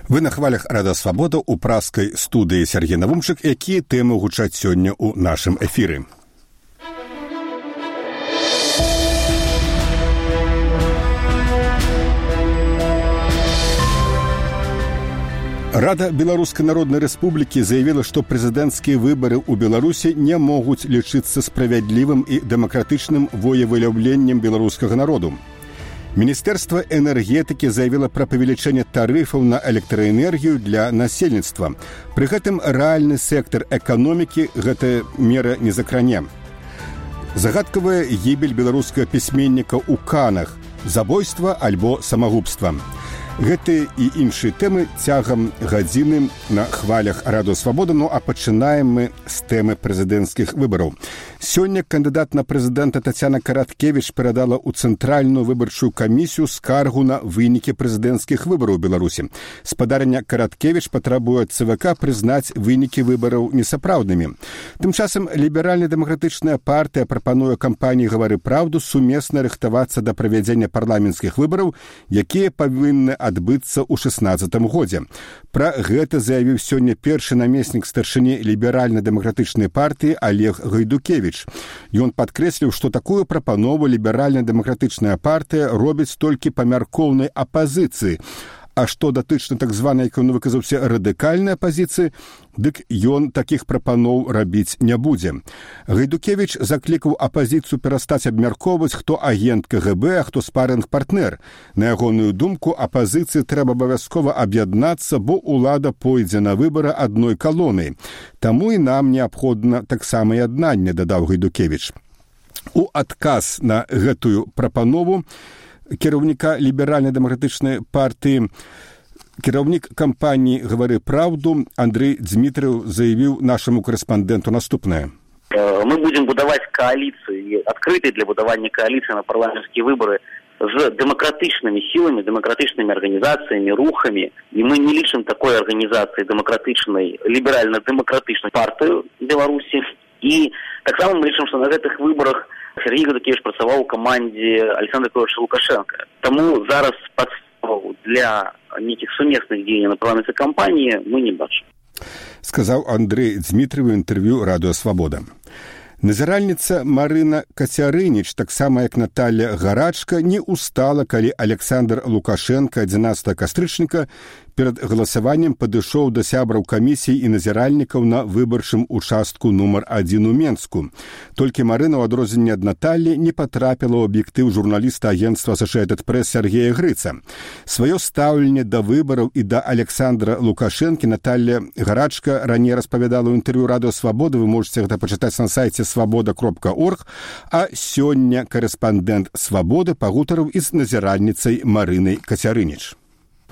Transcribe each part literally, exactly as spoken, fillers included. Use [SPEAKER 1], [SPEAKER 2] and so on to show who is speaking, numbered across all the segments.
[SPEAKER 1] Вы на хвалях Радыё Свабода ў празкай студыі Сергей Навумчык, якія тэмы гучаць сёння ў нашым эфіры. Рада Беларускай Народнай Рэспублікі заявіла, што прэзідэнцкія выбары ў Беларусі не могуць лічыцца справядлівым і дэмакратычным волевыяўленнем беларускага народу. Міністэрства энергетыкі заявіла пра павелічэнне тарыфаў на электраэнергію для насельніцтва. Пры гэтым рэальны сектар эканомікі гэтая мера не закране. Загадкавая гібель беларускага пісьменніка ў Канах, забойства альбо самагубства. Гэтыя і іншыя тэмы цягам гадзіны на хвалях Радыё Свабода, ну а пачынаем мы з тэмы прэзідэнцкіх выбараў. Сёння кандыдат на прэзідэнта Тацяна Караткевіч перадала ў Цэнтральную выбарчую камісію скаргу на вынікі прэзідэнцкіх выбараў у Беларусі. Спадарня Караткевіч патрабуе ад ЦВК прызнаць вынікі выбараў несапраўднымі. Тым часам ліберальна-дэмакратычная партыя прапануе кампаніі «Гавары праўду» сумесна рыхтавацца да правядзення парламенцкіх выбараў, якія павінны адбыцца ў шэснаццатым годзе. Пра гэта заявіў сёння першы намеснік старшыні ліберальна-дэмакратычнай партыі Олег Гайдукевіч. Ён падкрэсліў, што такую прапанову ліберальна-дэмакратычная партыя робіць толькі па мяркоўнай апазіцыі. А што датычна так званай, як ён выказаўся, радыкальнай апазіцыі, дык ён такіх прапаноў рабіць не будзе. Гайдукевіч заклікаў апазіцыю перастаць абмяркоўваць, хто агент КГБ, а хто спарынг-партнер. На ягоную думку, апазіцыі трэба абавязкова аб'яднацца, бо ўлада пойдзе на выбары адной калонай. Таму і нам неабходна таксама яднанне, дадаў Гайдукевіч. У адказ на гэтую прапанову кіраўніка ліберальна-дэмакратычнай партыі, кіраўнік кампаніі «Гавары праўду» Андрей Дзмітрыў заявіў нашаму корэспандэнту наступнае.
[SPEAKER 2] Мы будем будаваць коаліцыі, адкрытыя для будавання коаліцыі на парламенцкія выбары з дэмакратычнымі сіламі, дэмакратычнымі арганізацыямі, рухамі. І мы не лічым такой арганізацыі дэмакратычнай, ліберальна-дэмакратычнай партыю Беларусі. І таксама мы лічым, што на гэтых выбарах Сергей Гайдукевіч працаваў у камандзе Александра Петровича Лукашенка. Таму зараз падставу для нейкіх сумесных дзеянняў на парламенцкай кампаніі мы не бачым.
[SPEAKER 1] Сказаў Андрей Дзмітрыў у інтэрв'ю Радыё Свабода. Назіральніца Марына Кацярыніч, таксама як Наталья Гарачка, не устала, калі Александр Лукашенко адзінаццатага кастрычніка перад галасаваннем падышоў да сябраў камісій і назіральнікаў на выбарчым участку нумар адзін у Менску. Толькі Марына, у адрозненне ад Наталлі, не патрапіла ў аб'ектыў журналіста агенцтва Associated Press Сергея Грыца. Сваё стаўленне да выбараў і да Александра Лукашэнкі Наталья Гарачка раней распавядала ў інтэрв'ю Радыё Свабода, вы можете гэта пачытаць на сайце свабода кропка орг, а сёння корэспандэнт Свабоды пагутарыў і з назіральніцай Марынай Кацярыніч.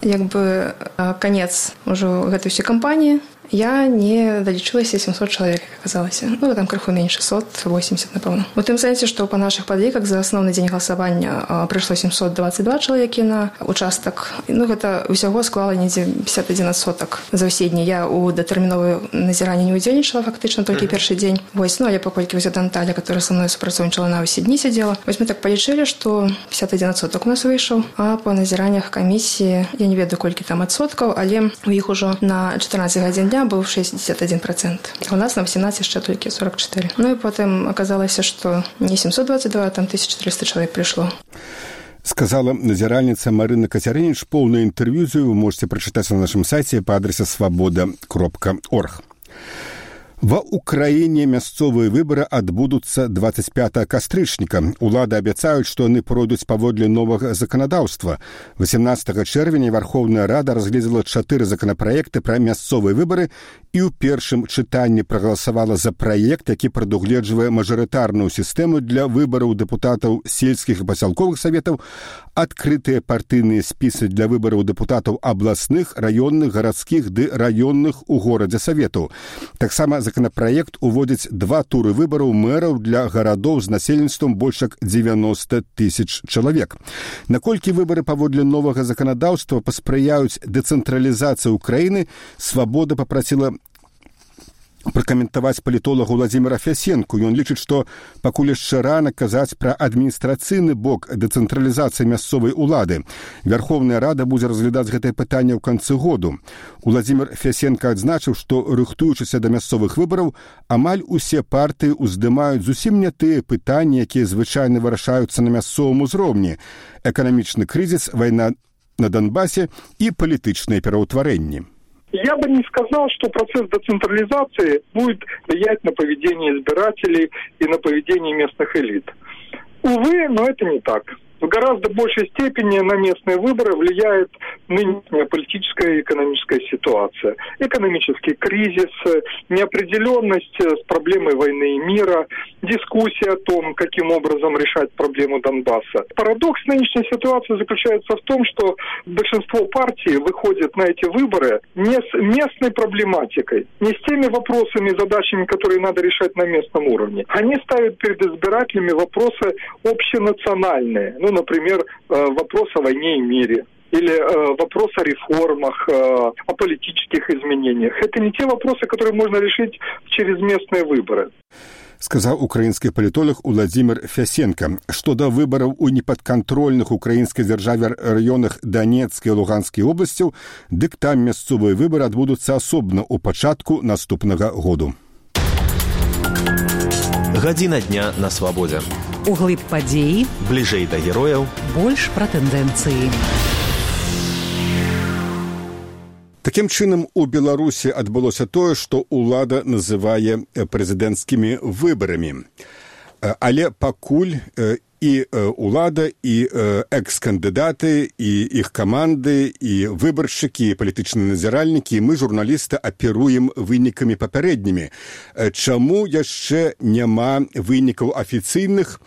[SPEAKER 3] Як бы канец ужо гэтай усёй кампаніі, я не далічылася сямсот чалавек, як аказалася. Ну, там крыху менш, шэсцьсот восемьдесят, напэўна. У тым сэнсе, што па нашых падліках за асноўны дзень галасавання прыйшло семьсот двадцать два чалавекі на участак. Ну, гэта ўсяго склала недзе пятьдесят один адсотак за ўсе дні. Я ў датэрміновае назіранне не ўдзельнічала, фактычна, толькі першы дзень. Вось, ну, але паколькі вось Наталя, которая са мной супрацоўнічала, на ўсе дні сядзела. Вось мы так палічылі, што пятьдесят один адсотак у нас выйшаў, а па назіраннях камісіі, я не ведаю, колькі там адсоткаў, але у іх ужо на чатырнаццаць гадзін дня быў шестьдесят один процент. У нас на восемнадцать яшчэ толькі сорок четыре. Ну і потым аказалася, што не семьсот двадцать два, а там тысяча четыреста чалавек прыйшло.
[SPEAKER 1] Сказала назіральніца Марына Кацярыніч. Поўнае інтэрв'ю вы можете прачытаць на нашым сайце па адрасе свабода кропка орг. Ва ўкраіне мясцовыя выбары адбудуцца двадцать пятага кастрычніка. Улады абяцаюць, што яны пройдуць паводле новага заканадаўства. восемнадцатага чэрвеня Вархоўная Рада разгледзела чатыры законапраекты пра мясцовыя выбары і ў першым чытанні прагаласавала за праект, які прадугледжвае мажарытарную сістэму для выбараў дэпутатаў сельскіх і пасялковых саветаў, адкрытыя партыйныя спісы для выбараў дэпутатаў абласных, раённых, гарадскіх ды раённых у горадзе саветаў. Таксама законопроект уводзіць два туры выбараў мэраў для гарадоў з насельніцтвам больш як девяносто тысяч чалавек. Наколькі выбары паводле новага заканадаўства паспрыяюць дэцэнтралізацыі ўкраіны, Свабода папрасіла пракаментаваць палітолага Владзіміра Фясенку. Ён лічыць, што пакуль яшчэ рана казаць пра адміністрацыйны бок дэцэнтралізацыі мясцовай улады. Вярхоўная Рада будзе разглядаць гэтае пытанне ў канцы году. Владзімір Фясенка адзначыў, што, рыхтуючыся да мясцовых выбараў, амаль усе партыі ўздымаюць зусім не тыя пытанні, якія звычайна вырашаюцца на мясцовым узроўні: эканамічны крызіс, вайна на Донбассе і палітычныя пераўтварэнні.
[SPEAKER 4] Я бы не сказал, что процесс децентрализации будет влиять на поведение избирателей и на поведение местных элит. Увы, но это не так. В гораздо большей степени на местные выборы влияет нынешняя политическая и экономическая ситуация. Экономический кризис, неопределенность с проблемой войны и мира, дискуссия о том, каким образом решать проблему Донбасса. Парадокс нынешней ситуации заключается в том, что большинство партий выходит на эти выборы не с местной проблематикой, не с теми вопросами и задачами, которые надо решать на местном уровне. Они ставят перед избирателями вопросы общенациональные. Ну, например, вопрос о войне и мире. Или э, вопрос о реформах, э, о политических изменениях. Это не те вопросы, которые можно решить через местные выборы.
[SPEAKER 1] Сказаў украінскі палітолог Владзімір Фясенка. Што да выбараў у непадкантрольных украінскай дзяржаве раёнах Данецкай і Луганскай обласцяў, дык там мясцовыя выбары адбудуцца асобна ў пачатку наступнага году.
[SPEAKER 5] Гадзіна дня на свабодзе.
[SPEAKER 6] Углыб падзеі,
[SPEAKER 5] бліжэй да герояў,
[SPEAKER 6] больш пра тэндэнцыі.
[SPEAKER 1] Такім чынам, у Беларусі адбылося тое, што ўлада называе прэзідэнцкімі выбарамі. Але пакуль і ўлада, і экс-кандыдаты, і іх каманды, і выбаршчыкі, і палітычныя назіральнікі, мы, журналісты, аперуем вынікамі папярэднімі. Чаму яшчэ няма вынікаў афіцыйных?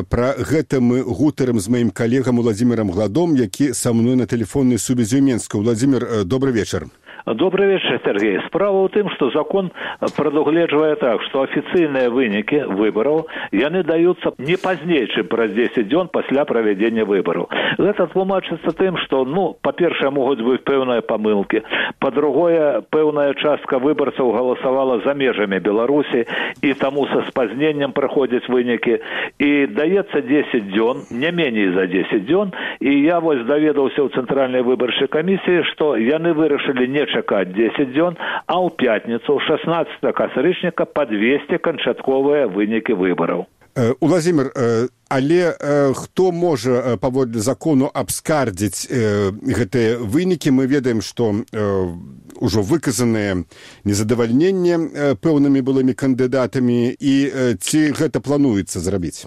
[SPEAKER 1] Пра гэта мы гутарым з маім калегам Владзімірам Гладом, які са мной на тэлефоннай сувязі ў Менску. Владзімір, добрый вечар.
[SPEAKER 7] Добрый вечер, Сергей. Справа ў тым, што закон прадугледжвае так, што афіцыйныя вынікі выбараў яны даюцца не пазней, чым праз дзесяць дзён пасля правядзення выбараў. Гэта тлумачыцца тым, што, ну, па-першае, могуць быць пэўныя памылкі, па-другое, пэўная частка выбарцаў галасавала за межамі Беларусі, і таму са спазненнем праходзяць вынікі, і даецца дзесяць дзён, не меней за дзесяць дзён, і я вось даведаўся ў Цэнтральнай выбарчай камісіі, што яны вырашылі не чакаць дзесяць дзён, а ў пятніцу, шаснаццатага кастрычніка, падвесці канчатковыя вынікі выбараў.
[SPEAKER 1] Владзімір, але хто можа паводле закону абскардзіць гэтыя вынікі? Мы ведаем, што ўжо выказаныя незадавальненне пэўнымі былымі кандыдатамі, і ці гэта плануецца зрабіць?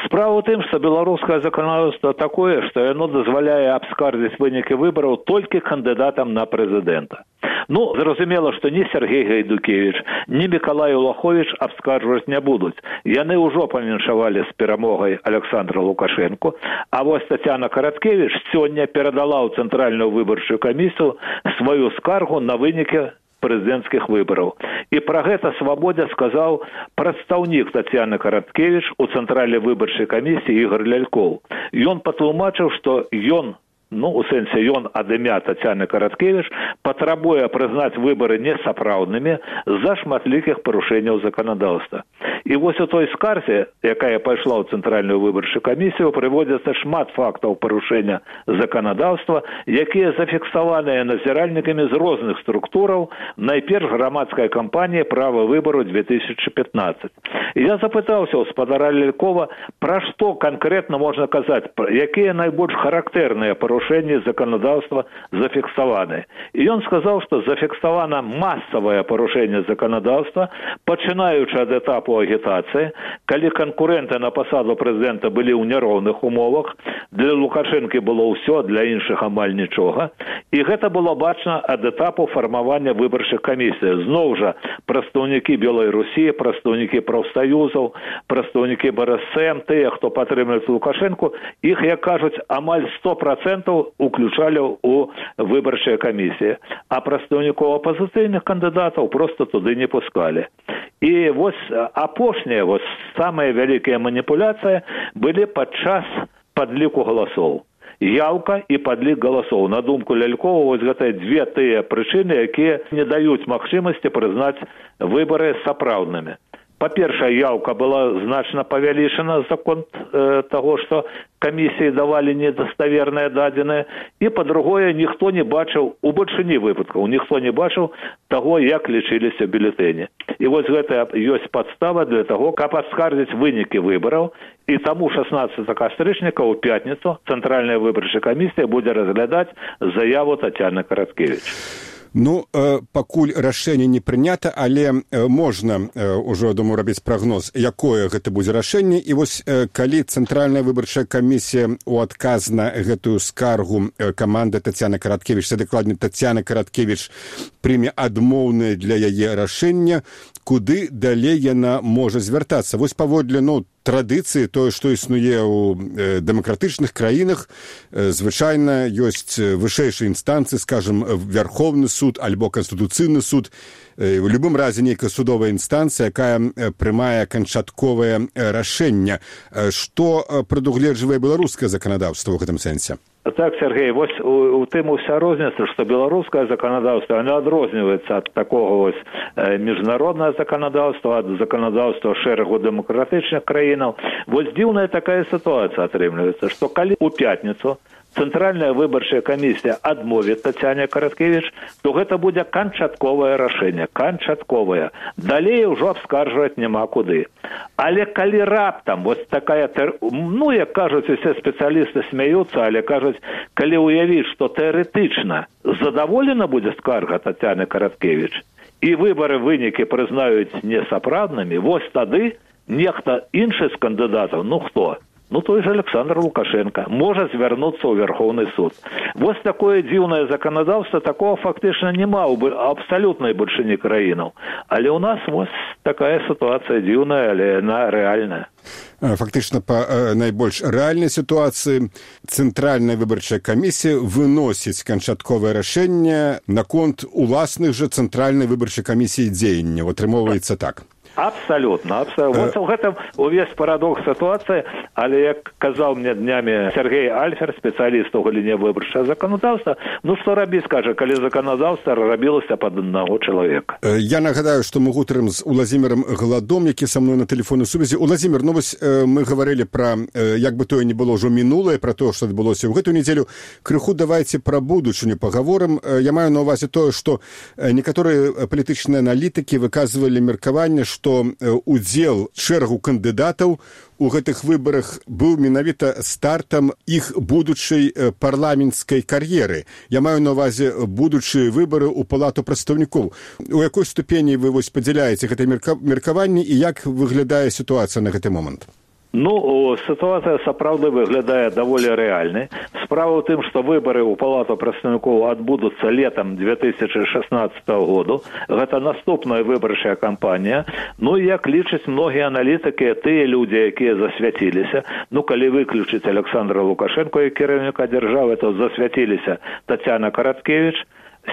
[SPEAKER 7] Справа ў тым, што беларускае заканадаўства такое, што яно дазваляе абскардзіць вынікі выбараў толькі кандыдатам на прэзідэнта. Ну, зразумела, што ні Сергей Гайдукевіч, ні Мікалай Улаховіч абскарджваць не будуць. Яны ўжо павіншавалі з перамогай Александра Лукашэнку, а вось Тацяна Караткевіч сёння перадала ў Цэнтральную выбарчую камісію сваю скаргу на вынікі прэзідэнцкіх выбараў. І пра гэта свабодзе сказаў прадстаўнік Тацяны Караткевіч у Цэнтральнай выбарчай камісіі Ігор Лялькоў. Ён патлумачыў, што ён, ну, у сэнсе ён ад імя Тацяны Караткевіч, патрабуе прызнаць выбары несапраўднымі з-за шматлікіх парушэнняў заканадаўства. І вось у той скарзе, якая пайшла ў Цэнтральную выбарчую камісію, прыводзіцца шмат фактаў парушэння заканадаўства, якія зафіксаваныя назіральнікамі з розных структураў, найперш грамадская кампанія «Права выбару две тысячи пятнадцать». І я запытаўся ў спадара Лялькова, пра што канкрэтна можна казаць, якія найбольш характэрныя парушэнні заканадаўства зафіксаваны. І ён сказаў, што зафіксавана масавае парушэнне заканадаўства, пачынаючы ад этапу агітацыі, калі канкурэнты на пасаду прэзідэнта былі ў няроўных умовах, для Лукашэнкі было ўсё, для іншых амаль нічога, і гэта было бачна ад этапу фармавання выбарчых камісій. Зноў жа, прадстаўнікі Белай Русі, прадстаўнікі прафсаюзаў, прадстаўнікі Бэ Эр Эс Эм, тыя, хто падтрымліваюць Лукашэнку, іх, як кажуць, амаль сто процентаў уключалі ў выбарчыя камісіі, а прадстаўнікоў апазіцыйных кандыдатаў проста туды не пускалі. І вось апошняя, вось самая вялікая маніпуляцыя былі падчас падліку галасоў. яўка і падлік галасоў. На думку Лялькова, вось гэта дзве тыя прычыны, якія не даюць магчымасці прызнаць выбары сапраўднымі. Па-першае, яўка была значна павялічана за конт э, таго, што камісіі давалі недаставерныя дадзеныя, і, па-другое, ніхто не бачыў, у бальшыні выпадкаў, ніхто не бачыў таго, як лічыліся бюлетэні. І вось гэта ёсць падстава для таго, каб аскардзіць вынікі выбараў, і таму шаснаццатага кастрычніка ў пятніцу Цэнтральная выбарчая камісія будзе разглядаць заяву Тацяны Караткевіч.
[SPEAKER 1] Ну, э, пакуль рашэнне не прынята, але э, можна э, ўжо, думаю, рабіць прагноз, якое гэта будзе рашэнне. І вось э, калі Цэнтральная выбарчая камісія у адказ на гэтую скаргу э, каманды Тацяны Караткевіч, це дакладней Тацяна Караткевіч, прыме адмоўнае для яе рашэння, куды далей яна можа звяртацца. Вось паводле, ну, традыцыі, тое, што існуе ў э, дэмакратычных краінах, э, звычайна ёсць вышэйшыя інстанцыі, скажем, Вярхоўны суд альбо Канстытуцыйны суд, э, у любым разе нейкая судовая інстанцыя, якая э, прымае канчатковае э, рашэнне. Э, што э, прадугледжвае беларускае заканадаўства ў гэтым сэнсе?
[SPEAKER 7] Так, Сергей, вось у, у тым уся розніца, што беларускае заканадаўства, оно адрозніваецца ад такого вось э, міжнароднае заканадаўства, ад заканадаўства шэрагу дэмакратычных краінаў. Вось дзіўная такая сітуацыя атрымліваецца, што калі у пятніцу Цэнтральная выбарчая камісія адмовіць Тацяне Караткевіч, то гэта будзе канчатковае рашэнне, канчатковае. Далей ўжо абскаржваць няма куды. Але калі раптам вось такая, ну, як кажуць, усе спецыялісты смяюцца, але кажуць, калі ўявіць, што тэарэтычна задаволена будзе скарга Тацяны Караткевіч, і выбары вынікі прызнаюць несапраўднымі, вось тады нехта іншы з кандыдатаў, ну хто? Ну, той же Александр Лукашенко можа звярнуцца ў Верховны суд. Вось такое дзіўнае заканадаўства, такого фактычна няма ў абсалютнай бальшыні краінаў. Але ў нас вось такая сітуацыя дзіўная, але яна рэальная.
[SPEAKER 1] Фактычна, па э, найбольш рэальнай сітуацыі Цэнтральная выбарчая камісія выносіць канчатковае рашэнне наконт уласных жа Цэнтральнай выбарчай камісіі дзеянняў. Атрымоўваецца так.
[SPEAKER 7] Абсолютно, абсолютно. Вот в этом увесь парадокс ситуации, але, як казаў мне днями Сергей Альфер, специалист у галіне выбарчага заканадаўства, ну что рабіць, скажа, калі заканадаўства рабілася пад аднаго чалавека.
[SPEAKER 1] Я нагадаю, што мы гутарым з Уладзімірам Гладом, які са мной на тэлефоннай сувязі. Уладзімір, ну вось мы гаварылі пра, як бы тое не было ўжо мінулае, пра тое, што адбылося ў гэтую нядзелю. Крыху давайце пра будучыню пагаворым. Я маю на ўвазе тое, што некаторыя палітычныя аналітыкі выказвалі меркаванне, што удзел шэрагу кандыдатаў у гэтых выбарах быў менавіта стартам іх будучай парламенцкай кар'еры. Я маю на ўвазе будучыя выбары ў палату прадстаўнікоў. У якой ступені вы вось падзяляеце гэтае меркаванне і як выглядае сітуацыя на гэты момант?
[SPEAKER 7] Ну, ситуация сапраўды выглядае даволі рэальнай. Справа ў тым, што выбары ў палату прадстаўнікоў адбудуцца летам две тысячи шестнадцатого году. Гэта наступная выбарчая кампанія. Ну, як лічаць многія аналітыкі, тыя людзі, якія засвяціліся, ну, калі выключыць Александра Лукашенко і кіраўніка дзяржавы, то засвяціліся Тацяна Караткевіч,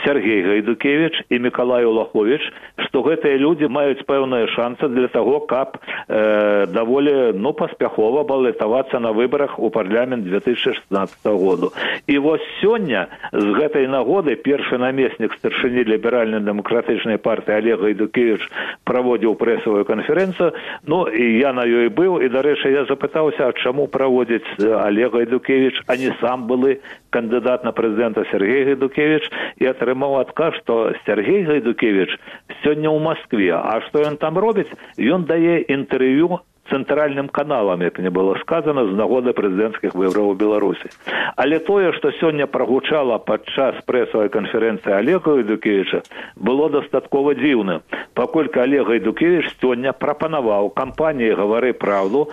[SPEAKER 7] Сергей Гайдукевич і Миколай Улахович, што гэтыя людзі маюць пэўныя шансы для таго, каб э, даволі, ну, паспяхова балатавацца на выбарах у парламент две тысячи шестнадцатого году. І вось сёння з гэтай нагоды першы намеснік старшыні ліберальна-дэмакратычнай партыі Олег Гайдукевич праводзіў прэсавую канферэнцыю, ну, і я на ёй быў, і, дарэчы, я запытаўся, а чаму праводзіць Олег Гайдукевич, а не сам былы кандыдат на прэзідэнта Сергей Гайдукевич, і атрымаў адказ, што Сергей Гайдукевич сёння ў Маскве. А што ён там робіць? Ён дае інтэрв'ю цэнтральным каналам, як не было сказано, з нагоды прэзідэнцкіх выбараў у Беларусі. Але тое, што сёння прагучала падчас прэсавай канферэнцыі Олега Гайдукевича, было дастаткова дзіўным, паколькі Олег Гайдукевич сёння прапанаваў кампаніі «Гавары праўду»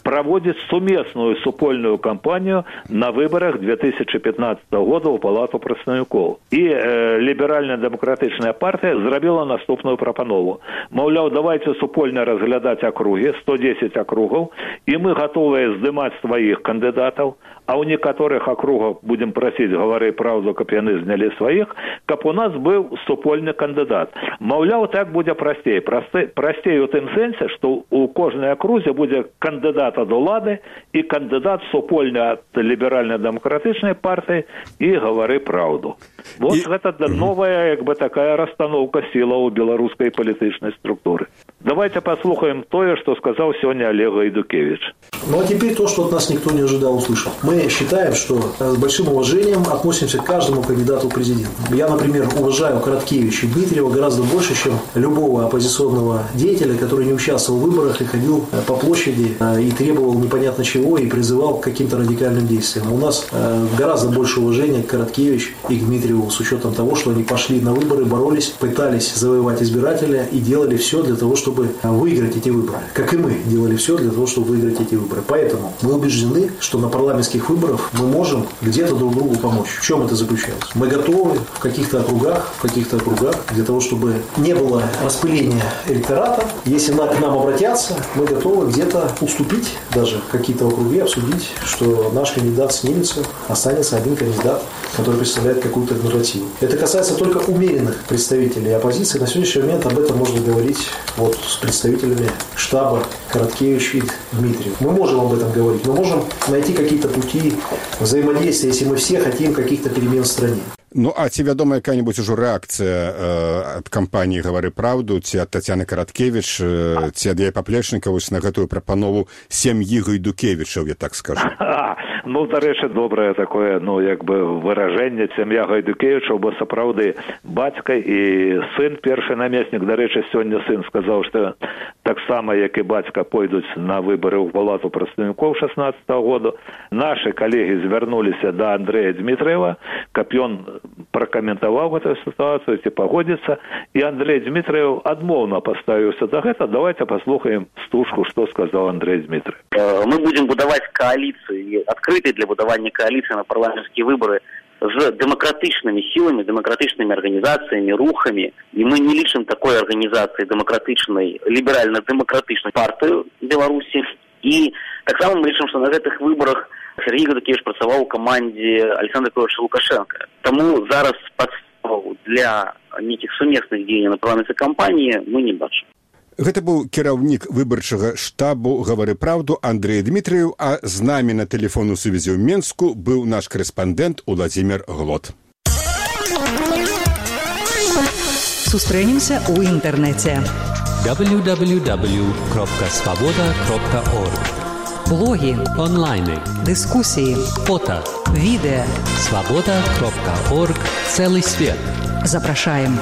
[SPEAKER 7] проводит сумесную супольную кампанию на выборах две тысячи пятнадцатого года у палату прадстаўнікоў. І э, ліберальна-дэмакратычная партія зрабіла наступную прапанову. Маўляў, давайте супольна разглядаць акругі, сто десять акругаў, і мы готовыя здымаць сваіх кандыдатаў, а ў некаторых акругах будем прасіць «Гавары праўду», каб яны знялі сваіх, каб у нас быў супольны кандыдат. Маўляў, так будзе прасцей. Прасцей у тым сэнсе, што у кожнай акрузе будзе кандыдат кандыдат ад улады і кандыдат супольны ад ліберальна-дэмакратычнай партыі і гавары праўду. Вот і... гэта новая, як бы, такая расстановка сілаў у беларускай палітычнай структуры. Давайте послухаем то, что сказал сегодня Олег Гайдукевич.
[SPEAKER 8] Ну а теперь то, что от нас никто не ожидал услышать. Мы считаем, что с большим уважением относимся к каждому кандидату в президенты. Я, например, уважаю Короткевича и Дмитриева гораздо больше, чем любого оппозиционного деятеля, который не участвовал в выборах и ходил по площади и требовал непонятно чего и призывал к каким-то радикальным действиям. У нас гораздо больше уважения к Короткевичу и к Дмитриеву с учетом того, что они пошли на выборы, боролись, пытались завоевать избирателя и делали все для того, чтобы выиграть эти выборы. Как и мы делали все для того, чтобы выиграть эти выборы. Поэтому мы убеждены, что на парламентских выборах мы можем где-то друг другу помочь. В чем это заключается? Мы готовы в каких-то округах, в каких-то округах для того, чтобы не было распыления электората. Если к нам обратятся, мы готовы где-то уступить даже в какие-то округи, обсудить, что наш кандидат снимется, останется один кандидат, который представляет какую-то альтернативу. Это касается только умеренных представителей оппозиции. На сегодняшний момент об этом можно говорить вот с представителями штаба Короткевич и Дмитриев. Мы можем об этом говорить. Мы можем найти какие-то пути взаимодействия, если мы все хотим каких-то перемен в стране.
[SPEAKER 1] Ну, а ці вядома якая-нибудь ужо рэакцыя э, ад кампаніі «Гавары праўду», ці ад Тацяны Караткевіч, э, ці ад яе паплечніка вось на гэтую прапанову сям'і Гайдукевічаў, я так скажу?
[SPEAKER 7] Ну, дарэчы, добрае такое, ну, як бы выражэнне сям'я Гайдукевічаў, бо сапраўды бацька і сын, першы намеснік, дарэчы, сёння сын сказаў, што таксама, як і бацька, пойдуць на выбары ў палату прадстаўнікоў шаснаццатага году. Нашы калегі звярнуліся да Андрэя Дмітриева, каб ён пракаментаваў гэтую сітуацыю, ці пагодзіцца, і Андрэй Дмітриев адмоўна паставіўся да гэта. Давайте паслухаем стужку, што сказаў Андрэй Дмітриев.
[SPEAKER 2] Мы будем будаваць коалиции, открытые для будавання коалиции на парламентские выборы с демократичными силами, демократичными организациями, рухами. И мы не лишим такой организации демократичной, либерально-демократичной партии Беларуси. И так само мы лишим, что на этих выборах Сергей Гайдукевич працаваў у камандзе Александра Григорьевича Лукашенко. Тому зараз падстав для нейкіх сумесных дзеянняў на парламентскай кампаніі мы не бачым.
[SPEAKER 1] Гэта быў кіраўнік выбарчага штабу «Гавары праўду» Андрэй Дмітриев, а з намі на тэлефонную сувязі ў Менску быў наш корэспандэнт Уладзімір Глот.
[SPEAKER 6] Сустрэнемся ў інтэрнэце.
[SPEAKER 5] дабл ю дабл ю дабл ю крапка свабода крапка орг.
[SPEAKER 6] Блоги,
[SPEAKER 5] онлайны,
[SPEAKER 6] дискуссии,
[SPEAKER 5] фото,
[SPEAKER 6] видео.
[SPEAKER 5] свобода крапка орг. Целый свет.
[SPEAKER 6] Запрашаем.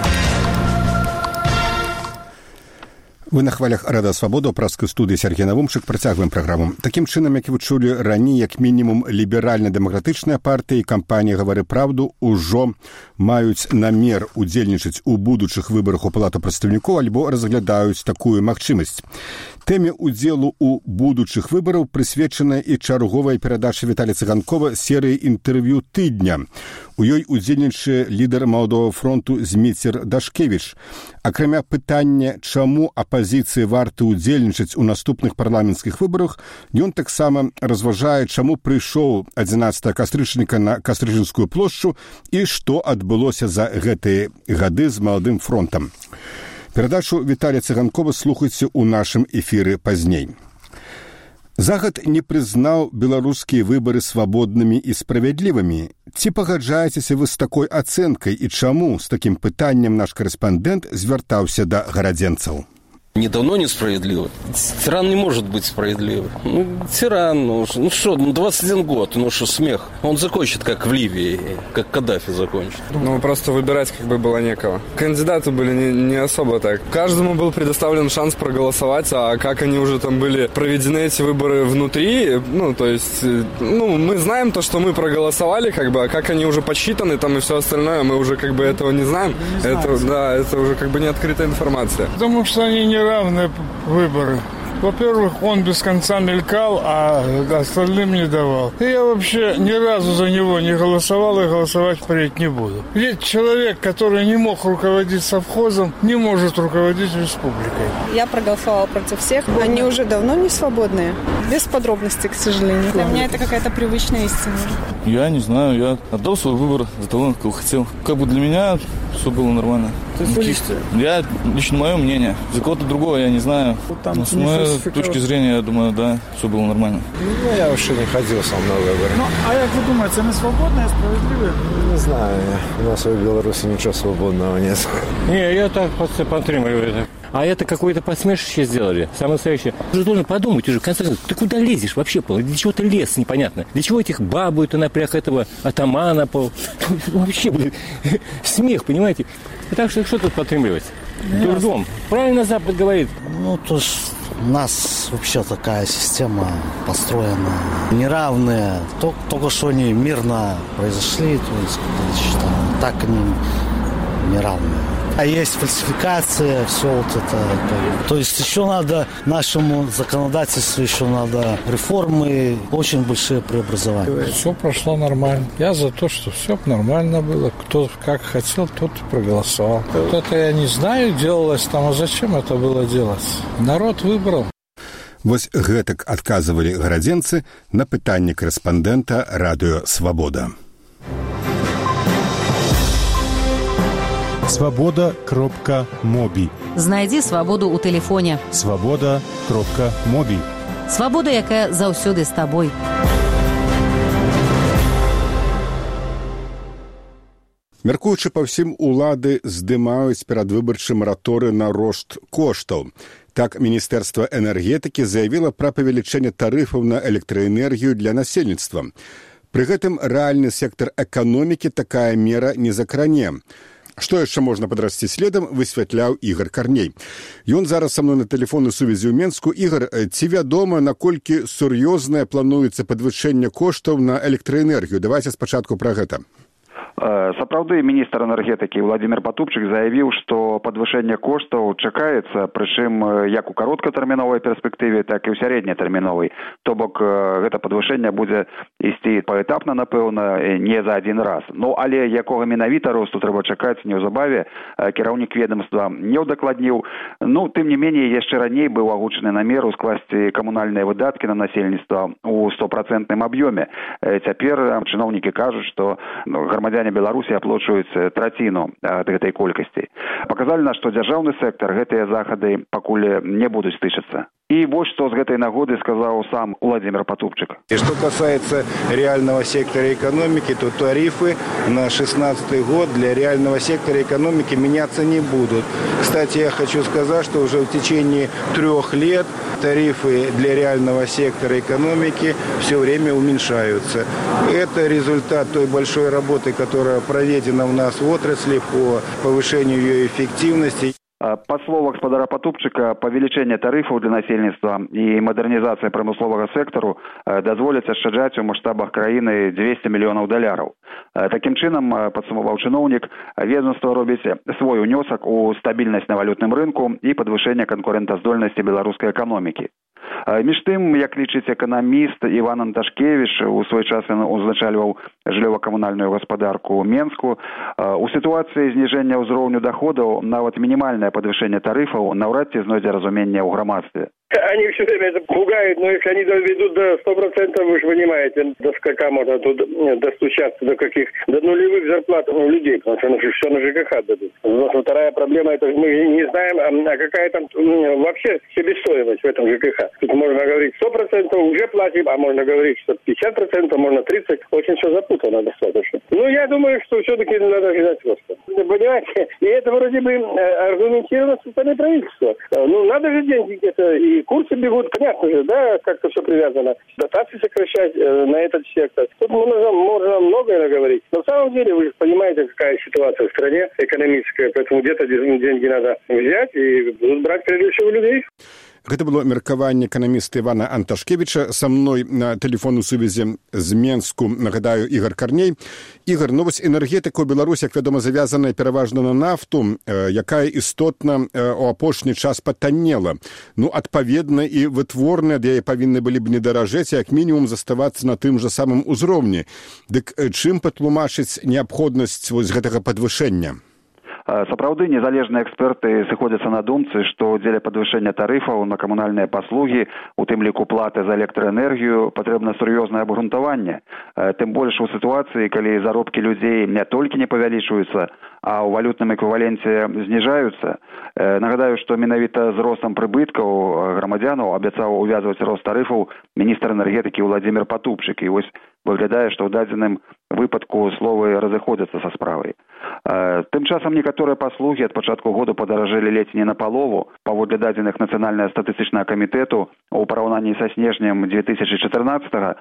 [SPEAKER 1] Вы на хвалях Рада Свабода, праскай студыі Сергей Навумчык, працягваем праграму. Такім чынам, як вы чулі раней, як мінімум ліберальна-дэмакратычная партыя і кампанія «Гавары праўду» ужо маюць намер удзельнічаць у будучых выбарах у палату прадстаўнікоў альбо разглядаюць такую магчымасць. Тэме удзелу ў будучых выбараў прысвечана і чарговая перадача Віталія Цыганкова серыі інтэрв'ю тыдня. У ёй удзельнічае лідар Маладога фронту Зміцер Дашкевіч. Акрамя пытання, чаму апазіцыі варты удзельнічаць у наступных парламенцкіх выбарах, ён таксама разважае, чаму прыйшоў адзінаццатага кастрычніка на Кастрычынскую плошчу і што адбылося за гэтыя гады з Маладым фронтам. Перадачу Віталія Цыганкова слухайце ў нашым эфіры пазней. Захад не прызнаў беларускія выбары свабоднымі і справядлівымі. Ці пагаджаецеся вы з такой ацэнкай і чаму з такім пытаннем наш корэспандэнт звяртаўся да гарадзенцаў?
[SPEAKER 9] Не давно несправедливо. Тиран не может быть справедливым. Ну, тиран, ну, ну что, ну двадцать один год, ну что, смех. Он закончит, как в Ливии, как Каддафи закончит.
[SPEAKER 10] Ну, просто выбирать как бы было некого. Кандидаты были не, не особо так. Каждому был предоставлен шанс проголосовать, а как они уже там были проведены, эти выборы внутри, ну, то есть, ну, мы знаем то, что мы проголосовали, как бы, а как они уже подсчитаны там и все остальное, мы уже как бы этого не знаем. Не это, да, это уже как бы не открытая информация.
[SPEAKER 11] Потому что они не равные выборы. Во-первых, он без конца мелькал, а остальным не давал. И я вообще ни разу за него не голосовал и голосовать впредь не буду. Ведь человек, который не мог руководить совхозом, не может руководить республикой.
[SPEAKER 12] Я проголосовала против всех. Они уже давно не свободные. Без подробностей, к сожалению.
[SPEAKER 13] Для меня это какая-то привычная истина.
[SPEAKER 14] Я не знаю, я отдал свой выбор за того, кого хотел. Как бы для меня все было нормально. Чисто. Я, лично мое мнение. За кого-то другого я не знаю.
[SPEAKER 15] Там
[SPEAKER 14] но с моей точки зрения, я думаю, да, все было нормально.
[SPEAKER 15] Ну, я вообще не ходил сам на выборы.
[SPEAKER 11] Ну, а як ви думаєте, це не свободне, а справедливе?
[SPEAKER 15] Не знаю. У нас в Беларуси ничего свободного нет.
[SPEAKER 16] Не, я так подтримываю это. А это какое-то посмешище сделали. Самое настоящее. Ты же должен подумать уже, в конце концов, ты куда лезешь вообще? Для чего ты лез, непонятно? Для чего этих бабу, это напряг этого атамана? Вообще, блин, смех, понимаете? Так что что тут подтримливать? Дурдом. Правильно Запад говорит.
[SPEAKER 17] Ну, то есть у нас вообще такая система построена неравная. Только что они мирно произошли, то есть, считаю, так они неравные. А есть фальсификация, все вот это. То есть еще надо нашему законодательству, еще надо реформы, очень большие преобразования.
[SPEAKER 11] Все прошло нормально. Я за то, что все нормально было. Кто как хотел, тот и проголосовал. Вот это я не знаю, делалось там, а зачем это было делать? Народ выбрал.
[SPEAKER 1] Вось гэтак адказвалі гарадзенцы на пытанне корэспандэнта радыё «Свабода».
[SPEAKER 18] свобода кропка моби.
[SPEAKER 6] Знайдзі свабоду ў тэлефоне.
[SPEAKER 18] свобода кропка моби.
[SPEAKER 6] Свабода, якая заўсёды з табой.
[SPEAKER 1] Мяркуючы па ўсім, улады здымаюць перадвыбарчы мараторы на рост коштаў. Так, Міністэрства энергетыкі заявіла пра павелічэнне тарыфаў на электраэнергію для насельніцтва. Пры гэтым рэальны сектар эканомікі такая мера не закране. Што яшчэ можна падрасці следам, высвятляў Ігар Карней. Ён зараз са мной на тэлефоннай сувязі ў Менску. Ігар, ці вядома, наколькі сур'ёзнае плануецца падвышэнне коштаў на электраэнергію? Давайце спачатку пра гэта.
[SPEAKER 19] Сапраўды, міністр энергетыкі Владимир Патупчык заявіў, што падвышэнне коштаў чакаецца, прычым як у кароткатэрміновай перспектыве, так і ў сярэднятэрміновай. То бок гэта падвышэнне будзе ісці паэтапна, напэўна, не за адзін раз. Ну, але якога менавіта росту трэба чакаць неўзабаве, кіраўнік ведомства не ўдакладніў. Ну, тым не меней, яшчэ раней быў агучаны намер ускласці камунальныя выдаткі на насельніцтва ў стопроцентным аб'ёме. Цяпер чыноўнікі кажуць, што грамадзяне Беларусі аплачваюць траціну ад гэтай колькасці. Паказалі нас, што дзяржаўны сектар гэтыя захады пакуль не будуць тычыцца. И вот что с этой нагоды сказал сам Владимир Патупчик.
[SPEAKER 20] И что касается реального сектора экономики, то тарифы на шестнадцатый год для реального сектора экономики меняться не будут. Кстати, я хочу сказать, что уже в течение трех лет тарифы для реального сектора экономики все время уменьшаются. Это результат той большой работы, которая проведена у нас в отрасли по повышению ее эффективности.
[SPEAKER 19] Па словах гаспадара Патупчыка, павелічэнне тарыфаў для насельніцтва і мадэрнізацыя прамысловага сектару дазволяць ашчаджаць у маштабах краіны дзвесце мільёнаў даляраў. Такім чынам, падсумаваў чыноўнік, ведомства робіць свой унёсак у стабільнасць на валютным рынку і падвышэнне канкурэнтаздольнасці беларускай эканомікі. Між тым, як лічыць эканаміст Іван Анташкевіч, у свой час ён узначальваў жыллёва-камунальную гаспадарку Менску, у сітуацыі зніжэння ўзроўню доходаў нават мінімальнае падвышэнне тарыфаў наўрад ці знойдзе разуменне ў грамадстве.
[SPEAKER 21] Они все время это пугают, но если они доведут до сто процентов, вы же понимаете, до скольки можно тут достучаться, до каких, до нулевых зарплат у людей, потому что ну, все на ЖКХ дадут. Но вторая проблема, это мы не знаем, а какая там ну, вообще себестоимость в этом ЖКХ. Тут можно говорить сто процентов уже платим, а можно говорить, что пятьдесят процентов, можно тридцать процентов. Очень все запутано достаточно. Ну, я думаю, что все-таки надо ждать просто. Понимаете, и это вроде бы аргументировано со стороны правительства. Ну, надо же деньги где-то и курсы бегут, понятно же, да, как-то все привязано. Дотации сокращать э, на этот сектор. Тут можно, можно многое наговорить. Но на самом деле вы же понимаете, какая ситуация в стране экономическая, поэтому где-то деньги надо взять и будут брать прежде всего людей.
[SPEAKER 1] Гэта было меркаванне эканаміста Івана Анташкевіча. Са мной на тэлефоннай сувязі з Менску, нагадаю, Ігар Карней. Ігар, ну вось энергетыка ў Беларусі, як вядома, завязаная пераважна на нафту, якая істотна у апошні час патаннела. Ну, адпаведна, і вытворныя ад яе павінны былі б не даражэць, як мінімум заставацца на тым жа самым узроўні. Дык чым патлумачыць неабходнасць вось гэтага падвышэння?
[SPEAKER 19] Сапраўды незалежныя эксперты сыходзяцца на думцы, што дзеля падвышэння тарыфаў на камунальныя паслугі, у тым ліку платы за электраэнергію, патрэбна сур'ёзнае абгрунтаванне. Тым больш у сітуацыі, калі заробкі людзей не толькі не павялічваюцца, а ў валютным эквіваленце зніжаюцца. Нагадаю, што менавіта з ростам прыбыткаў грамадзянаў абяцаў увязваць рост тарыфаў міністр энергетыкі Владимир Потупчык. І вось выглядае, што ў дадзеным выпадку словы разыходзяцца са справай. Тым часам некаторыя паслугі ад пачатку года падаражэлі ледзь не напалову. Паводле дадзеных Нацыянальнага статыстычнага камітэту у параўнанні са снежнем две тысячи чатырнаццатага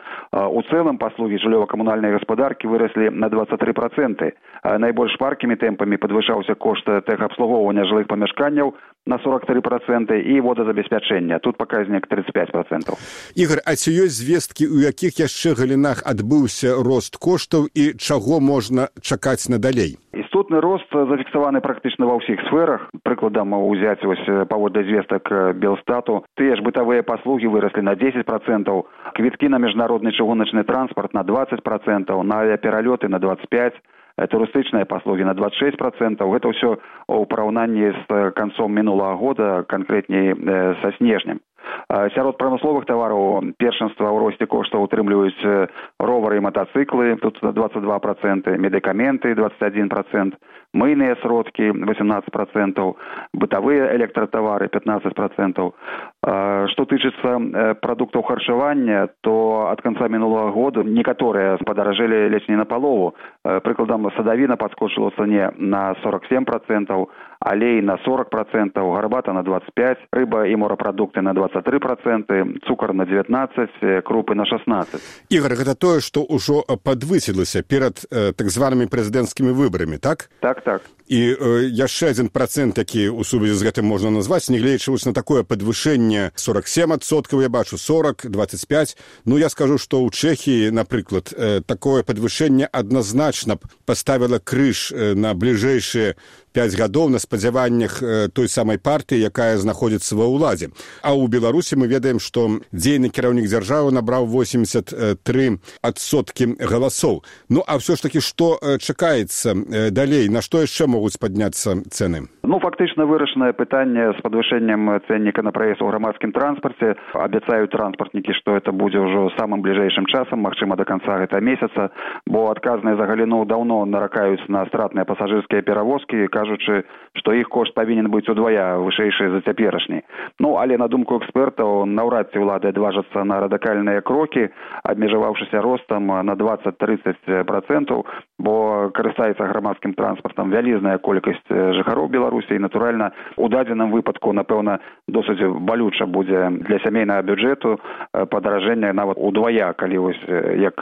[SPEAKER 19] у цэлым паслугі жыллёва-камунальнай гаспадаркі выраслі на двадцать три процента. Найбольш шпаркімі тэмпамі падвышаўся кошт тэхабслугоўвання жылых памяшканняў на сорок три процента і водазабеспячэння. Тут паказнік тридцать пять процентов.
[SPEAKER 1] Ігор, а ці ёсць звесткі, у якіх яшчэ галінах адбыўся рост коштаў і чаго можна чакаць надалей?
[SPEAKER 19] Істотны рост зафіксаваны практычна ва ўсіх сферах. Прыкладам узяць вось паводле звестак Белстату, тыя ж бытавыя паслугі выраслі на десять процентов, квіткі на міжнародны чыгуначны транспарт на двадцать процентов, на авіапералёты на двадцать пять процентов, турыстычныя паслугі на двадцать шесть процентов. Гэта ўсё ў параўнанні з канцом мінулага года, канкрэтней са снежнем. Сярод прамысловых тавараў першынства ў росце коштаў утрымліваюць ровары і матацыклы, тут двадцать два процента, медыкаменты двадцать один процент, мыйныя сродкі восемнадцать процентов, бытавыя электратавары пятнадцать процентов. Што тычыцца прадуктаў харчавання, то ад канца мінулага года некаторыя падаражэлі ледзь не напалову. Прыкладам, садавіна падскочыла ў цане на сорок семь процентов, алей на сорок процентов, гарбата на двадцать пять процентов, рыба і морапрадукты на двадцать три процента, цукар на девятнадцать процентов, крупы на шестнадцать процентов.
[SPEAKER 1] Ігор, гэта тое, што ўжо падвысілася перад э, так званымі прэзідэнцкімі выбарамі, так?
[SPEAKER 19] Так, так.
[SPEAKER 1] І э, яшчэ адзін працэнт, які ў сувязі з гэтым можна назваць, нягледзячы на такое падвышэнне сорок семь процентов, я бачу сорок, двадцать пять. Ну, я скажу, што ў Чэхіі, напрыклад, э, такое падвышэнне адназначна паставіла крыж э, на бліжэйшыя пять гадоў на спадзяваннях э, той самай партыі, якая знаходзіцца ва ўладзе. А ў Беларусі мы ведаем, што дзейны кіраўнік дзяржавы набраў восемьдесят три процента галасоў. Ну, а ўсё ж такі, што э, чакаецца э, далей? На што яшчэ могуць падняцца цэны?
[SPEAKER 19] Ну, фактычна вырашанае пытанне з падвышэннем цэнніка на праезд у грамадскім транспарце. Абяцаюць транспартнікі, што это будзе ўжо самым бліжэйшым часам, магчыма, да канца гэтага месяца, бо адказныя за галіну даўно наракаюць на стратныя пасажырскія перавозкі, кажучы, што іх кошт павінен быць удвая вышэйшы за цяперашні. Ну, але на думку экспертаў, наўрад ці ўлады адважацца на радыкальныя крокі, абмежаваўшыся ростам на двадцать-тридцать процентов, бо карыстаецца грамадскім транспартам вялізная колькасць жыхароў Беларусі, і, натуральна, у дадзеным выпадку, напэўна, досыць балюча будзе для сямейнага бюджэту падаражэнне нават удвая, калі вось як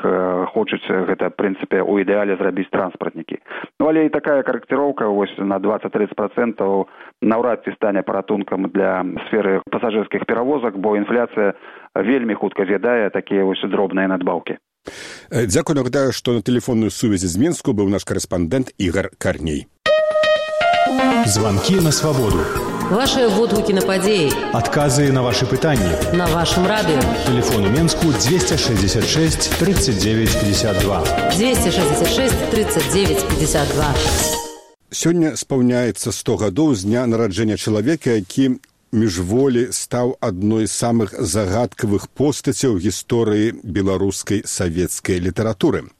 [SPEAKER 19] хочуць гэта, в прынцыпе, у ідэале зрабіць транспартнікі. Ну, але і такая карэкціроўка вось на двадцать-тридцать процентов наўрад ці стане паратункам для сферы пасажырскіх перавозак, бо інфляцыя вельмі хутка з'ядае такія вось дробныя надбаўкі.
[SPEAKER 1] Дзякую, нагадаю, што на тэлефонную сувязі з Мінску быў наш корэспандэнт Ігор Карней.
[SPEAKER 18] Звонки на свободу.
[SPEAKER 6] Ваши водгуки на падеи.
[SPEAKER 18] Отказы на ваши пытания.
[SPEAKER 6] На вашем радио.
[SPEAKER 18] Телефон у Менску двести шестьдесят шесть тридцать девять пятьдесят два.
[SPEAKER 6] двести шестьдесят шесть тридцать девять пятьдесят два.
[SPEAKER 1] Сёння спаўняецца сто гадоў з дня нараджэння чалавека, які міжволі стаў адной з самых загадкавых постацяў гісторыі беларускай савецкай літаратуры.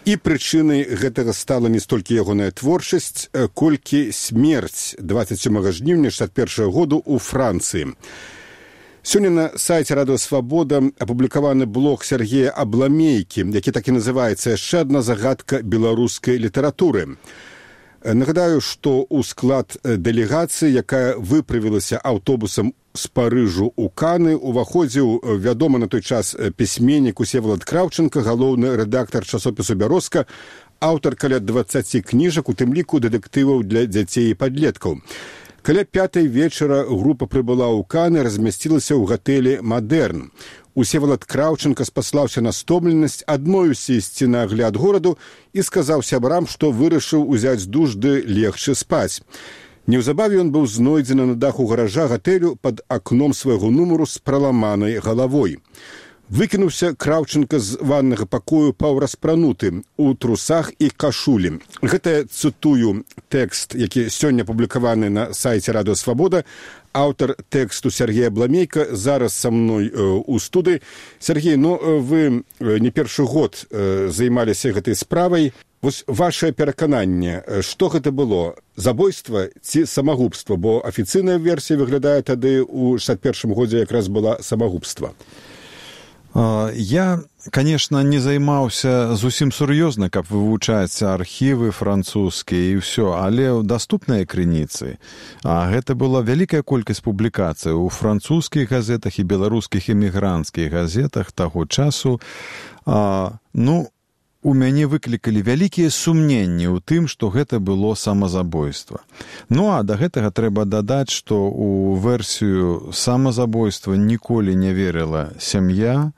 [SPEAKER 1] І прычынай гэтага стала не столькі ягоная творчасць, колькі смерць двадцать сёмага жніўня шэсцьдзесят першага году ў Францыі. Сёння на сайце Радыё Свабода апублікаваны блог Сергея Абламейкі, які так і называецца «Яшчэ адна загадка беларускай літаратуры». Нагадаю, што ў склад дэлегацыі, якая выправілася аўтобусам з Парыжу ў Каны, уваходзіў вядомы на той час пісьменнік Усевалад Краўченка, галоўны рэдактар часопісу «Бярозка», аўтар каля дваццаці кніжак, у тым ліку дэтэктываў для дзяцей і падлеткаў. Каля пятай вечара група прыбыла ў Каны, размясцілася ў гатэлі «Мадэрн». Усевалад Краўченка спаслаўся на стомленасць, адмовіўся ісці на агляд гораду і сказаў сябрам, што вырашыў узяць душ ды легчы спаць. Неўзабаве ён быў знойдзены на даху гаража гатэлю пад акном свайго нумару з праламанай галавой. Выкінуўся Краўченка з ваннага пакою паўраспрануты у трусах і кашулі. Гэта, цытую тэкст, які сёння публікаваны на сайце Радыё Свабода. Аўтар тэксту Сергей Абламейка зараз са мной э, у студыі. Сергей, ну вы не першы год э, займаліся гэтай справай. Вось вашае перакананне, што гэта было? Забойства ці самагубства? Бо афіцыйная версія выглядае тады ў шэсцьдзесят першым годзе якраз была самагубства.
[SPEAKER 3] Я, конечно, не займаўся зусім сур'ёзна, каб вывучаць архівы французскія і ўсё, але даступныя крыніцы. А гэта была вялікая колькасць публікацый у французскіх газетах і беларускіх эмігранцкіх газетах таго часу. А, ну, у мяне выклікалі вялікія сумненні ў тым, што гэта было самазабойства. Ну, а да гэтага трэба дадаць, што ў версію самазабойства ніколі не верыла сям'я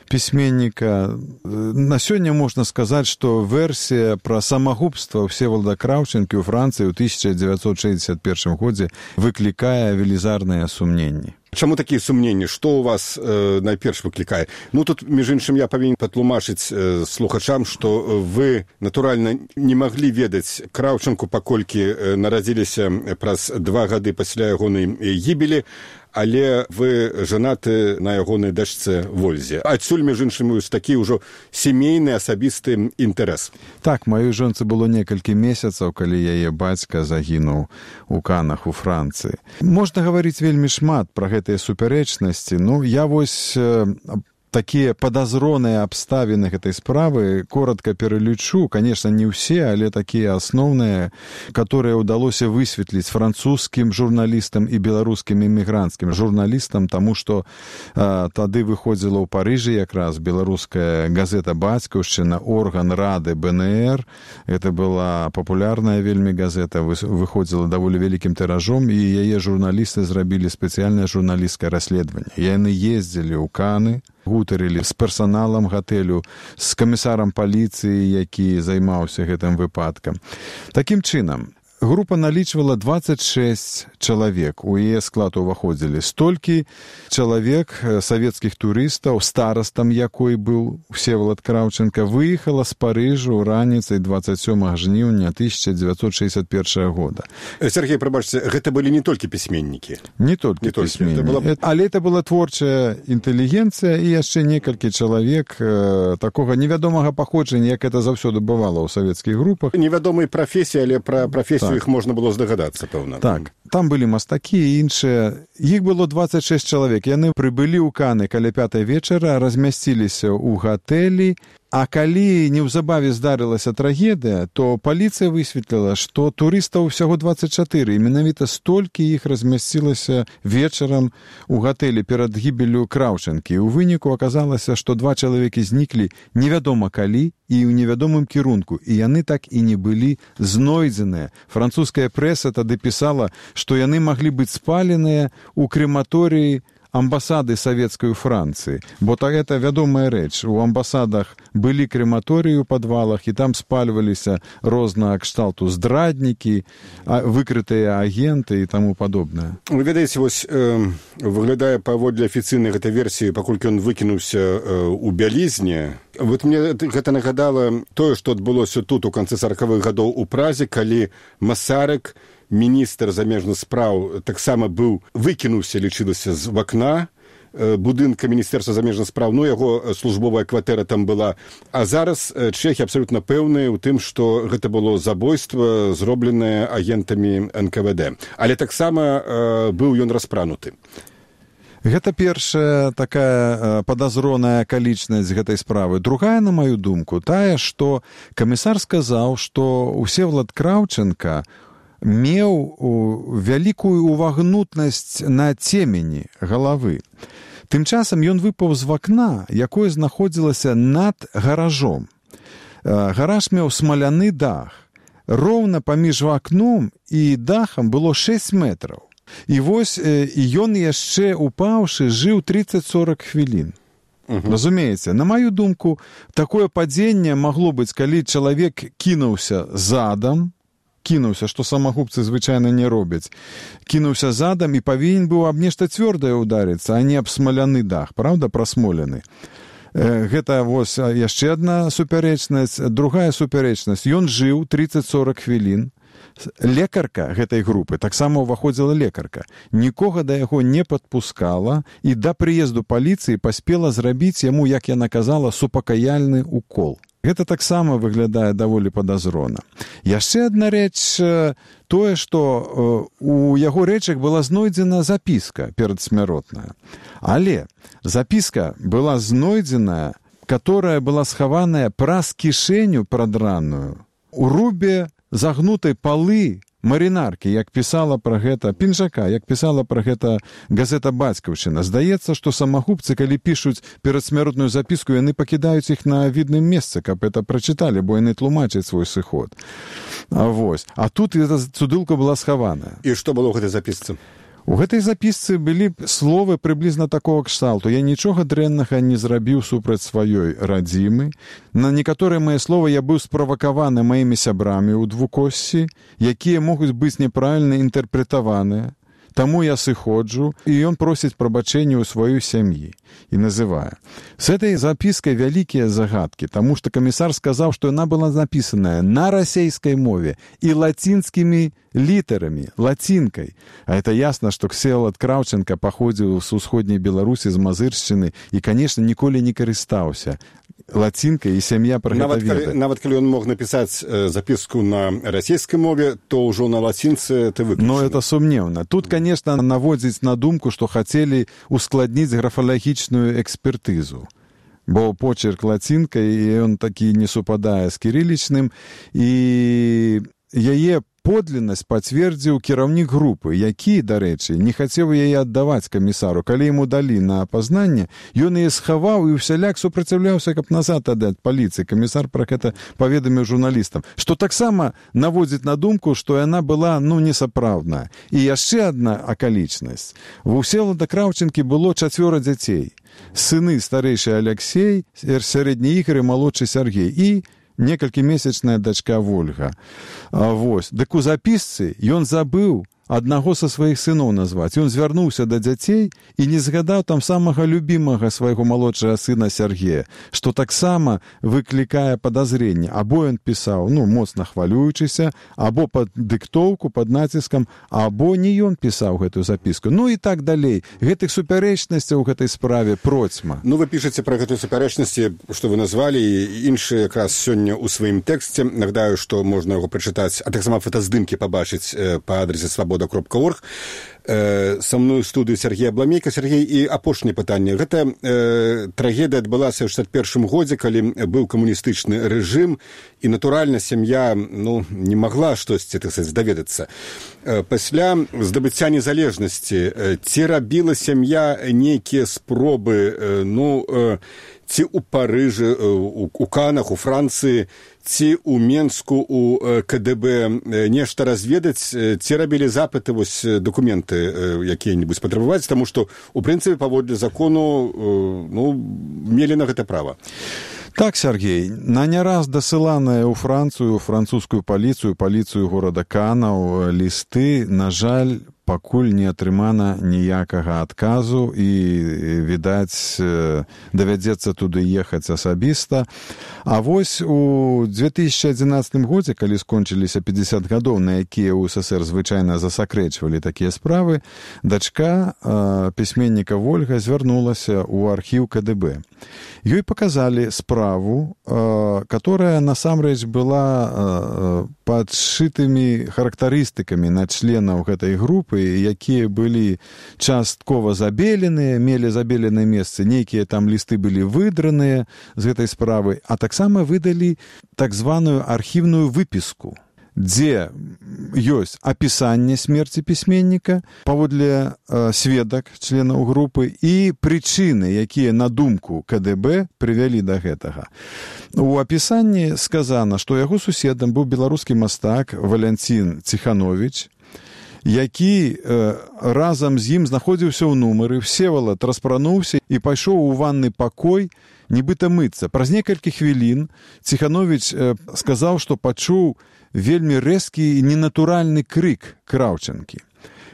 [SPEAKER 3] пісьменніка. На сёння можна сказаць, што версія пра самагубства Всеволода Краўчэнкі ў Францыі ў тысяча дзевяцьсот шэсцьдзесят першым годзе выклікае велізарныя сумненні.
[SPEAKER 1] Чаму такія сумненні? Што ў вас э, найперш выклікае? Ну, тут, між іншым, я павінен патлумачыць э, слухачам, што вы, натуральна, не маглі ведаць Краўчэнку, паколькі э, нарадзіліся праз два гады пасля ягонай гібелі, але вы жанаты на ягонай дачцэ Вользе. Адсюль, між іншым, такі ўжо сямейны асабісты інтарэс.
[SPEAKER 3] Так, маёй жонцы было некалькі месяцаў, калі яе бацька загінуў у Канах у Францыі. Можна гаварыць вельмі шмат пра гэтыя супярэчнасці. Ну, я вось э, такія падазроныя абставіны гэтай справы коротко пералічу. Конечно, не ўсе, але такія асноўныя, которые ўдалося высветліць французскім журналістам і беларускім эмігранцкім журналістам, таму што э, тады выходзіла ў Парыжы якраз беларуская газета «Бацькаўшчына», орган рады бэ эн эр. Это была папулярная вельмі газета, выходзіла даволі вялікім тыражом, і яе журналісты зрабілі спецыяльнае журналісцкае расследаванне. Яны ездзілі ў Каны, гутарылі з персаналам гатэлю, з камісарам паліцыі, які займаўся гэтым выпадкам. Такім чынам, група налічвала двадцать шесть чалавек. У яе склад уваходзілі столькі чалавек, савецкіх турыстаў, старастам якой быў Всеволод Краўчэнка, выехала з Парыжу раніцай двадцать сёмага жніўня тысяча дзевяцьсот шэсцьдесят першага года.
[SPEAKER 1] Сергей, прабачце, гэта былі не толькі пісьменнікі.
[SPEAKER 3] Не толькі пісьменнікі. Была... Але это была творчая інтэлігенцыя і яшчэ некалькі чалавек э, такога невядомага паходжання, як это заўсёды бывала ў савецкіх групах.
[SPEAKER 1] Невядомай прафесіі, але пра прафесію так. Іх можна было здагадацца, пэўна.
[SPEAKER 3] Так, там былі мастакі і іншыя. Іх было двадцать шесть чалавек. Яны прыбылі ў Каны каля пятай вечара, размясціліся ў гатэлі, а калі неўзабаве здарылася трагедыя, то паліцыя высветліла, што турыстаў усяго двадцать чатыры, і менавіта столькі іх размясцілася вечарам у гатэлі перад гібеллю Краўчэнкі. У выніку аказалася, што два чалавекі зніклі невядома калі і ў невядомым кірунку, і яны так і не былі знойдзеныя. Французская прэса тады пісала, што яны маглі быць спаленыя ў крематорыі амбасады савецкай у Францыі, бо так это вядомая рэч. У амбасадах былі крематорыі ў падвалах, і там спальваліся рознага кшталту здраднікі, выкрытыя агенты і таму падобнае.
[SPEAKER 1] Вы ведаеце, вось э, выглядае паводле афіцыйнай гэтай версіі, паколькі ён выкінуўся э, у бялізне. Вот мне гэта нагадала тое, што адбылося тут у канцы саракавых гадоў у Празе, калі Масарык, міністр замежных спраў, таксама быў выкінуўся, лічылася з вакна будынка міністэрства замежных спраў, ну, яго службовая кватэра там была. А зараз чэхі абсалютна пэўныя ў тым, што гэта было забойства, зробленае агентамі эн ка вэ дэ. Але таксама э, быў ён распрануты.
[SPEAKER 3] Гэта першая такая падазроная акалічнасць гэтай справы. Другая, на маю думку, тая, што камісар сказаў, што Всеволод Краўчэнка меў вялікую увагнутнасць на цемені галавы. Тым часам ён выпаў з вакна, якое знаходзілася над гаражом. Гараж меў смаляны дах. Роўна паміж вакном і дахам было шэсць метраў. І вось ён яшчэ упаўшы жыў тридцать сорок хвілін. Uh-huh. Разумееце, на маю думку, такое падзенне магло быць, калі чалавек кінуўся задам, кінуўся, што самагубцы звычайна не робяць. Кінуўся задам і павінен быў аб нешта цвёрдае ударыцца, а не аб смаляны дах, праўда, прасмолены. Гэта вось яшчэ адна супярэчнасць. Другая супярэчнасць. Ён жыў тридцать-сорок хвілін. Лекарка гэтай групы, таксама ўваходзіла лекарка, нікога да яго не падпускала і да прыезду паліцыі паспела зрабіць яму, як яна казала, супакаяльны укол. Гэта таксама выглядае даволі падазрона. Яшчэ адна рэч, тое, што у яго рэчах была знойдзена запіска перадсмяротная. Але запіска была знойдзеная, которая была схаваная праз кішэню прадраную у рубе загнутай палы марынаркі, як пісала пра гэта пінжака, як пісала пра гэта газета «Бацькаўшчына». Здаецца, што самагубцы, калі пішуць перадсмяротную запіску, яны пакідаюць іх на відным месцы, каб это прачыталі, бо яны тлумачаць свой сыход. А, вось. А тут эта цудылка была схаваная.
[SPEAKER 1] І што было ў гэтай запісцы?
[SPEAKER 3] У гэтай запісцы былі словы прыблізна такого кшталту. Я нічога дрэннага не зрабіў супраць сваёй радзімы. На некаторыя мае словы я быў справакаваны маімі сябрамі ў двукоссі, якія могуць быць неправільна інтэрпрэтаваныя. Таму я сыходжу, і ён просіць прабачэння ў сваёй сям'і і называе. С этой запіскай вялікія загадкі, таму што камісар сказаў, што яна была напісаная на расейскай мове і лацінскімі літарамі, лацінкай. А это ясна, што Всевалад Краўченка паходзіў з усходняй Беларусі, з Мазыршчыны і, канешне, ніколі не карыстаўся лацінкай, і сям'я пра гэта ведае.
[SPEAKER 1] Нават калі ён мог напісаць запіску на расійскай мове, то ўжо на лацінцы это выключана.
[SPEAKER 3] Но это сумнеўна. Тут, конечно, наводзіць на думку, што хацелі ускладніць графалагічную экспертызу. Бо почерк лацінкай, і ён такі не супадае з кірылічным, і яе подлиннасць пацвердзіў кіраўнік групы, які, дарэчы, не хацеў яе аддаваць камісару. Калі яму далі на апазнанне, ён яе схаваў і ўсяляк супраціўляўся, каб назад аддаць паліцыі. Камісар пра гэта паведаміў журналістам, што таксама наводзіць на думку, што яна была, ну, несапраўдная. І яшчэ адна акалічнасць. У Всевалада Краўченкі было чацвёра дзяцей. Сыны старэйшы Аляксей, сярэдні Ігар і малодшы Сяргей. І некалькімесячная дачка Вольга. А, вось. Дык у запісцы ён забыў аднаго са сваіх сыноў назваць. Ён звярнуўся да дзяцей і не згадаў там самага любімага свайго малодшага сына Сяргея, што таксама выклікае падазренне. Або ён пісаў, ну, моцна хвалюючыся, або пад дыктоўку, пад націскам, або не ён пісаў гэтую запіску. Ну і так далей. Гэтых супярэчнасцяў у гэтай справе процьма.
[SPEAKER 1] Ну, вы пішаце пра гэтыя супярэчнасці, што вы назвалі, і іншыя якраз сёння ў сваім тэксце. Нагадаю, што можна яго прачытаць, а таксама фотаздымкі пабачыць па адрасе свабода кропка орг. Са мной у студыю Сергей Абламейка. Сергей, і апошняе пытанне. Гэта э, трагедыя адбылася ў шэсцьдзесят першым годзе, калі быў камуністычны рэжым, і, натуральна, сям'я, ну, не магла штосьці, так сказаць, даведацца. Э, пасля здабыцця незалежнасці ці рабіла сям'я нейкія спробы, э, ну, э, ці ў Парыжы, э, у, у Канах, у Францыі, ці ў Менску, у КДБ нешта разведаць, ці рабілі запыты, вось, дакументы якія-небудзь патрабаваць, таму што, у прынцыпе, паводле закону, ну, мелі на гэта права.
[SPEAKER 3] Так, Сергей, на не раз дасыланыя ў Францыю, французскую паліцыю, паліцыю горада Канаў лісты, на жаль, пакуль не атрымана ніякага адказу і, відаць, давядзецца туды ехаць асабіста. А вось у две тысячи адзінаццатым годзе, калі скончыліся пятьдесят гадоў, на якія ў СССР звычайна засакрэчвалі такія справы, дачка э, пісьменніка Вольга звярнулася ў архіў КДБ. Ёй паказалі справу, э, которая насамрэч была э, падшытымі характарыстыкамі на членаў гэтай групы, якія былі часткова забеленыя, мелі забеленыя месцы, нейкія там лісты былі выдраныя з гэтай справы, а таксама выдалі так званую архіўную выпіску, дзе ёсць апісанне смерці пісьменніка паводле э, сведак членаў групы і прычыны, якія на думку КДБ прывялі да гэтага. У апісанні сказана, што яго суседам быў беларускі мастак Валянцін Ціхановіч, які э, разам з ім знаходзіўся ў нумары. Всевалад распрануўся і пайшоў у ванны пакой, нібыта мыцца. Праз некалькі хвілін Ціхановіч э, сказаў, што пачуў вельмі рэзкі і ненатуральны крык Краўчанкі.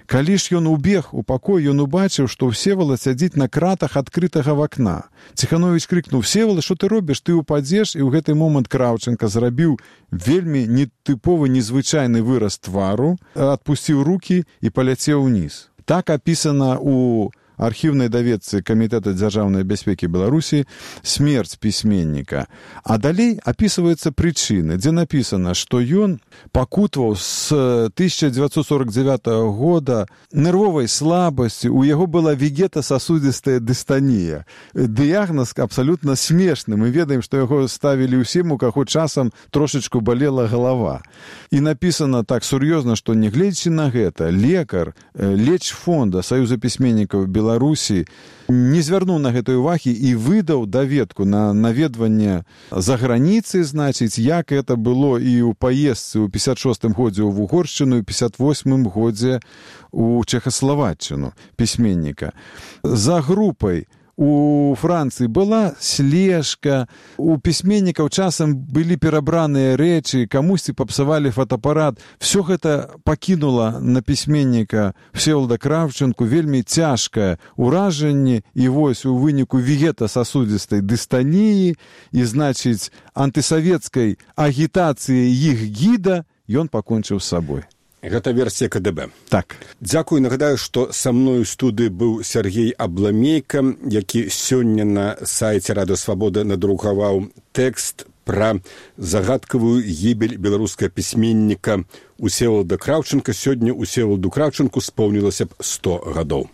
[SPEAKER 3] Калі ж ён убег у пакой, ён убачыў, што Всевалад сядзіць на кратах адкрытага вакна. Ціхановіч крыкнуў: «Всевалад, што ты робіш? Ты упадзеш?» І ў гэты момант Краўчанка зрабіў вельмі нетыповы, незвычайны выраз твару, адпусціў рукі і паляцеў уніз. Так апісана ў архіўнай даведцы Камітэта дзяржаўнай бяспекі Беларусі смерць пісьменніка. А далей апісваюцца прычыны, дзе напісана, што ён пакутваў з тысяча дзевяцьсот сорок дзевятага года нервовай слабасці, у яго была вегетасасудзістая дыстанія. Дыягназ абсалютна смешны. Мы ведаем, што яго ставілі ўсім, у каго часам трошачку балела галава. І напісана так сур'ёзна, што нягледзячы на гэта, лекар лечфонда Саюза пісьменнікаў Беларусі Беларусі не звярнуў на гэтай увагі і выдаў даведку на наведванне за граніцы, значыць, як это было і ў паездцы ў пятьдесят шостым годзе ў Угоршчыну і пятьдесят восьмым годзе ў Чэхаславаччыну пісьменніка. За групай у Францыі была слежка, у пісьменнікаў часам былі перабраныя рэчы, камусьці папсавалі фотоапарат. Всё гэта пакінула на пісьменніка Всевалада Краўчанку вельмі цяжкае ўражанне, і вось у выніку вегетасасудзістай дыстаніі і, значыць, антысавецкай агітацыі іх гіда ён пакончыў з сабой.
[SPEAKER 1] Гэта версія ка дэ бэ.
[SPEAKER 3] Так.
[SPEAKER 1] Дзякую. Нагадаю, што са мною ў студыі быў Сергей Абламейка, які сёння на сайце Радыё Свабода надрукаваў тэкст пра загадкавую гібель беларускага пісьменніка Всевалада Краўчанка. Сёння Всеваладу Краўчанку споўнілася б сто гадоў.